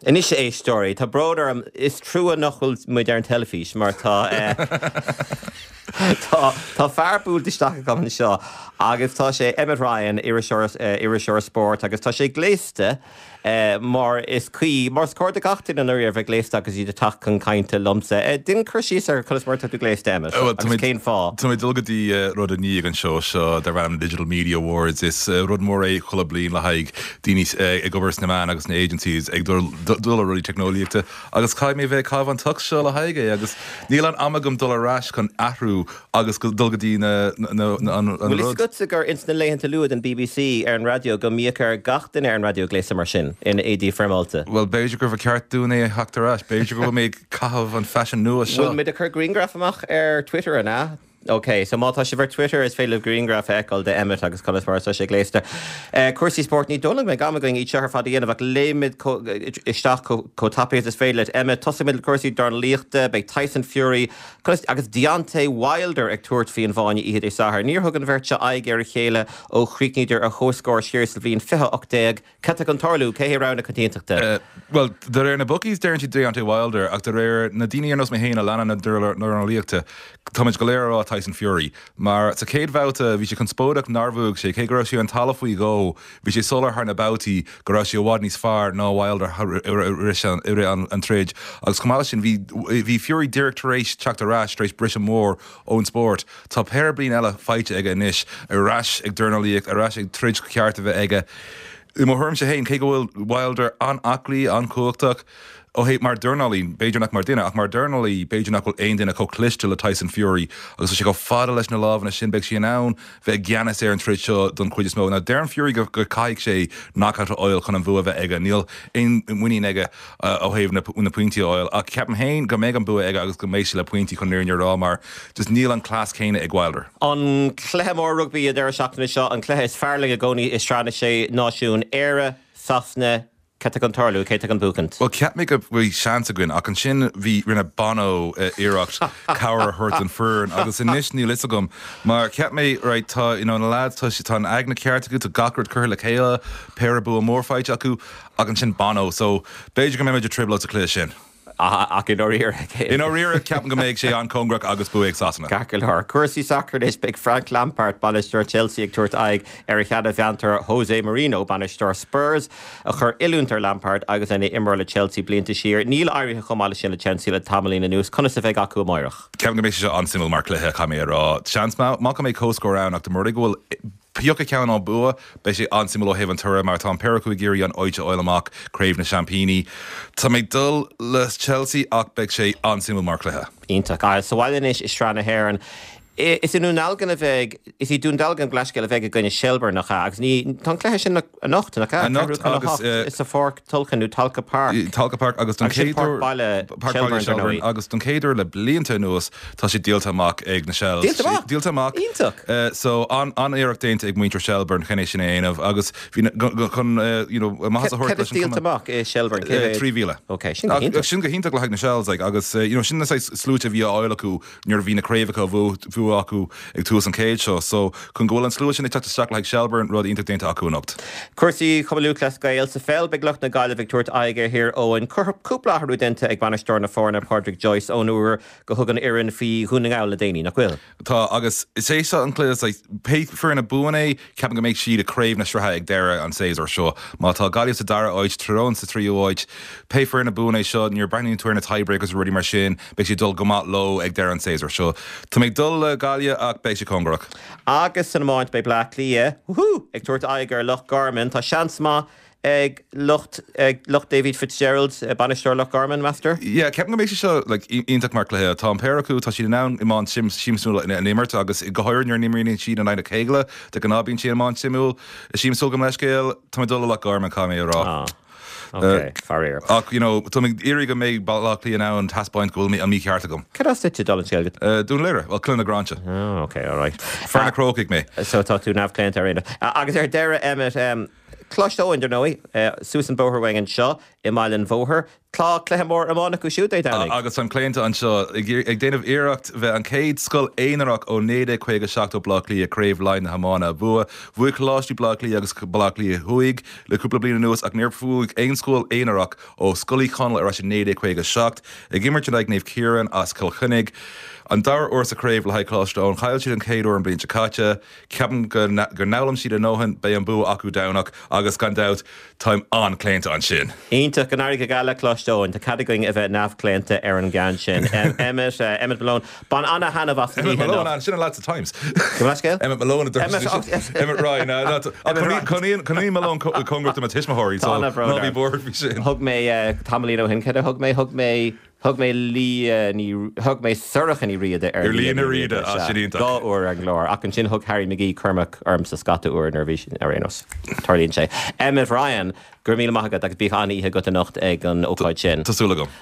Anois a éisteoirí, tá brón orm, is trua nach bhfuil muid ar an teilifís mar tá tá tá fear buailte isteach agam anseo agus tá sé Emmet Ryan, iriseoir iriseoir spóirt agus tá sé gléasta mar is cuí, mar is cóir do gach duine i ndáiríre a bheith gléasta agus iad ag teacht chun cainte liomsa. Déan cur síos ar conas mar atá tú gléasta, Emmet, agus cén fáth? Tá mé ag dul go dtí rud i ndiaidh an seó seo darb ainm Digital Media Awards. Is rud mór é chuile bliain le haghaidh daoine ag obair sna meáin agus sna agencies ag dul le rudaí teicneolaíochta agus caithfidh mé bheith ag caitheamh an tux seo le haghaidh é agus níl an am agam dul ar ais chun athrú agus dul go dtí na an rud. Bhfuil fhios agatsa gur ins na laethanta luath den bbc ar an raidió go mbíodh ar gach duine ar an raidió gléasadh mar sin, in éadaí foirmeálta? Bhuel, b'fhéidir gurbh cheart dúinn é a theacht ar ais. B'fhéidir go bhfuil mé ag caitheamh an faisean nua seo. Bhfuil muid ag cur grianghraf amach ar Twitter, an ea? Ok, so má tá sibh ar Twitter is féidir libh grianghraf a fheiceáil de Emmet agus conas mar atá sé gléasta. Cúrsaí spóirt, ní dóigh liom go mbeidh am againn iad seo ar fad a dhéanamh ach léimfimid isteach chomh tapaidh is is féidir leat. Emmet, tosóimid le cúrsaí dornálaíochta, beidh Tyson Fury conas agus Deontay Wilder ag tabhairt faoi an bhfáinne oíche Dé Sathairn. Níor thug an bheirt seo aghaidh ar a chéile ó chríochnaíodar ar comhscór siar sa bhliain 2018. Cad tá chun tarlú? Cé hé rogha na coitiantachta? Bhuel, de réir na bookies deireann siad Deontay Wilder ach de réir na daoine ar nós mé féin a leanann na dornálaíochta, táimid go léir ag rá Tyson Fury. Mar sa chéad bhabhta bhí sé conspóideach nár bhuaigh sé, cé go raibh sé ar an talamh faoi dhó, bhí sé soiléir thar na babhtaí go raibh sé i bhfad níos fearr ná Wilder i rith an troid. Agus chomh maith leis sin bhí bhí Fury díreach tar éis teacht ar ais tar éis briseadh mór ón spórt. Tá péire bliain eile faighte aige anois, ar ais ag dornálaíocht, ar ais ag troid cheart a bheith aige. I mo thuairimse féin, cé go bhfuil Wilder an-aclaí, an-chumhachtach, ó thaobh, mar dhornálaí, b'fhéidir nach mar dhuine, ach mar dhornálaí, b'fhéidir nach bhfuil aon duine chomh cliste le Tyson Fury agus tá sé chomh fada leis na lámhanna sin, beidh sé in ann bheith i gceannas ar an troid seo don chuid is mó. Now, deireann Fury go gcaithfidh sé knockout a fháil chun an bhua a bheith aige, níl aon mhuinín aige ó thaobh na pointí a fháil ach ceapaim féin go mbeidh an bua aige agus go mbeidh sé le pointí chun an fhírinne a rá mar just níl an cleas céanna ag Wilder. An cluiche mór rugbaí an deireadh seachtaine seo, an cluiche is fearr linn i gcónaí i Sraith na Sé Náisiún, Éire, Sasana, Cad tá chun tarlú? Cé tá chun buachaint? Bhuel, cheap mé go bhí seans againn ach ansin bhí, rinne Bono iarracht cabhair a thabhairt don foireann agus anois níl fhios agam mar cheap mé, right, tá, you know, na lads, tá, tá an aigne ceart acu, tá gach rud curtha le chéile, péire bua mór faighte acu ach ansin Bono, so b'fhéidir go mbeimid i dtrioblóid sa chluiche sin. Ach i ndáiríre. I ndáiríre, ceapaim go mbeidh sé an-chóngarach agus bua ag Sasana. Ceart go leor. Cúrsaí sacair anois, beidh Frank Lampard, bainisteoir Chelsea, ag tabhairt aghaidh ar a sheana-mheantóir Jose Mourinho, bainisteoir Spurs, a chuir oiliúint ar Lampard agus é ina imreoir le Chelsea blianta siar. Níl éirithe chomh maith leis sin le Chelsea le tamaillín anuas. Conas a bheidh acu amáireach? Ceapaim go mbeidh sé seo an-suimiúil mar chluiche, caithfidh mé a rá. Seans maith go mbeidh comhscór ann ach dá mba rud é go bhfuil Pioc a ceann an bua, beidh sé an-suimiúil ó thaobh an toradh mar tá an péire acu ag iarraidh an áit a fháil amach Craobh na Seaimpíní. Tá mé ag dul le Chelsea ach beidh sé an-suimiúil mar chluiche. Iontach. Sa bhaile anois i Sraith na hÉireann. Is i nDún Dealgan a bheidh, is í Dún Dealgan gabh mo leithscéal a bheidh i gcoinne Shelbourne, nach ea? Agus ní, tá an cluiche sin anocht, nach ea? Anocht agus. Sa Pháirc Tulchann nó Tolka Park. Tolka Park agus don chéad uair. Páirc Baile Shelbourne, dar ndóigh. Agus don chéad uair le blianta anuas tá sé díolta amach ag na Shells. Díolta amach? Díolta amach. Iontach. So, an-iarracht déanta ag muintir Shelbourne chun é sin a dhéanamh agus bhí chun you know maitheas a thabhairt leis an díolta amach i Shelbourne? Cé mhéad? 3,000. Ok, sin go hiontach. Sin go hiontach le haghaidh na Shells like agus you know sin na saghas sluaite a bhí á fháil acu nuair a bhí na craobhacha á bhua acu ag tús an chéid seo. So, chun go bhfuil an slua sin ag teacht isteach le haghaidh Shelbourne, rud iontach déanta acu anocht. Cúrsaí Chumann Lúthchleas Gael sa pheil, beidh lucht na Gaillimhe ag tabhairt aghaidh ar Thír Eoghain. Cúpla athrú déanta ag bainisteoir na foirne, Pádraic Joyce, ón uair go thug an fhoireann faoi Dhún na nGall le déanaí, nach bhfuil? Tá, agus is é seo an cluiche, like, pé foireann a bhuann é, ceapaim go mbeidh siad i craobh na sraithe ag deireadh an tséasúir seo. Má tá Gaillimh sa dara háit, Tír Eoghain sa tríú háit, pé foireann a bhuann é seo, nuair a breathnaíonn tú ar na tiebreakers rudaí mar sin, beidh sé ag dul go maith leo ag deireadh an tséasúir seo. Tá mé ag dul le Gaillimh ach beidh sé cóngarach. Agus san iomáint beidh Bleá Cliath, woohoo, ag tabhairt aghaidh ar Loch Garman. Tá seans maith ag lucht ag lucht David Fitzgerald, bainisteoir Loch Garman, meastar? Yeah, ceapaim go mbeidh sé seo like iontach mar cluiche. Tá an péire acu, tá siad in ann iomáint siamsúil a imirt agus go háirithe nuair a imríonn siad in aghaidh a chéile, de ghnáth bíonn sé iomáint suimiúil. Siamsúil gabh mo leithscéal, tá mé ag dul le Loch Garman, caithfidh mé a rá. Ah, ok, faraor. Ach, you know, tá mé ag iarraidh go mbeidh Baile Átha Cliath in ann taispeáint go bhfuil an mícheart agam. Cad as duit, dála an scéil? Dún Laoghaire, bhuel, Cluain na Gráinse. Oh, ok, alright. Fear na Crócaigh mé. So tá tú neamhchlaonta ar aon nós. Agus ar deireadh, Emmet, em. Coláiste Eoin, dar ndóigh, suas an bóthar uainn anseo i mBaile an Bhóthair. Tá cluiche mór iomána acu siúd Dé Domhnaigh. Agus táim claonta anseo, ag déanamh iarracht bheith an chéad scoil aonarach ó 1957 ó Bleá Cliath Craobh Laighean na hiomána a bhua. Bhuaigh Coláistí Bleá Cliath agus Bleá Cliath Thuaidh le cúpla bliain anuas ach níor bhuaigh aon scoil aonarach ó Scoil Uí Chonaill ar ais i 1957. Ag imirt in aghaidh Naomh Ciarán as Cill Chainnigh. An dara huair sa chraobh le haghaidh Coláiste Eoin. Chaill siad an chéad uair an bhliain seo caite. Ceapaim go bhfoghlaim siad a ndóthain, beidh an bua acu Domhnach agus gan dabht táim an-claonta ansin. Iontach, go n-éirí go geal le Coláiste Eoin. Tá cead againn a bheith neamhchlaonta ar an gceann sin. Emmet, Emmet Malone, bain ana-thaitneamh as an oíche anocht. Emmet Malone, sin an leaid sa Times. Gabh mo leithscéal? Emmet Malone a dúirt sí. Emmet Ryan. Cónaíonn Cónaíonn Malone cóngarach do mo tuismitheoirí so ná bí buartha faoi sin. Thug mé tamaillín ó shin, céard a thug mé? Thug mé Thug mé Lia Ní, thug mé Sorcha Ní Riada ar Lia Ní Riada, ah, sin iontach. Dhá uair ar an gclár, ach ansin thug Harry McGee Cormac ormsa scata uair nuair a bhí, ar aon nós, tarlaíonn sé. Emmet Ryan, go raibh míle maith agat agus bíodh an-oíche agat anocht ag an ócáid sin. Tá súil agam.